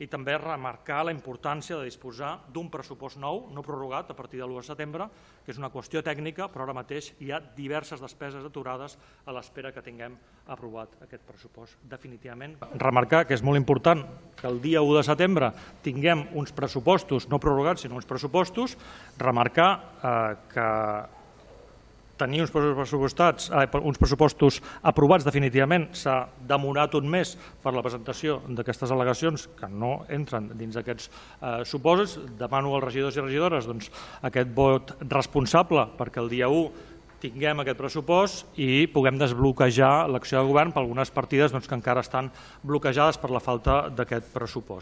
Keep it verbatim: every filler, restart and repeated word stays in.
i també remarcar la importància de disposar d'un pressupost nou, no prorrogat a partir de l'u de setembre, que és una qüestió tècnica, però ara mateix hi ha diverses despeses aturades a l'espera que tinguem aprovat aquest pressupost definitivament. Remarcar que és molt important que el dia u de setembre tinguem uns pressupostos, no prorrogats, sinó uns pressupostos, remarcar eh, que tenir uns pressupostats, eh, uns pressupostos aprovats definitivament s'ha demorat un mes per la presentació d'aquestes al·legacions que no entren dins d'aquests eh, supòsits. Demano als regidors i regidores doncs, aquest vot responsable perquè el dia u tinguem aquest pressupost i puguem desbloquejar l'acció de govern per algunes partides doncs, que encara estan bloquejades per la falta d'aquest pressupost.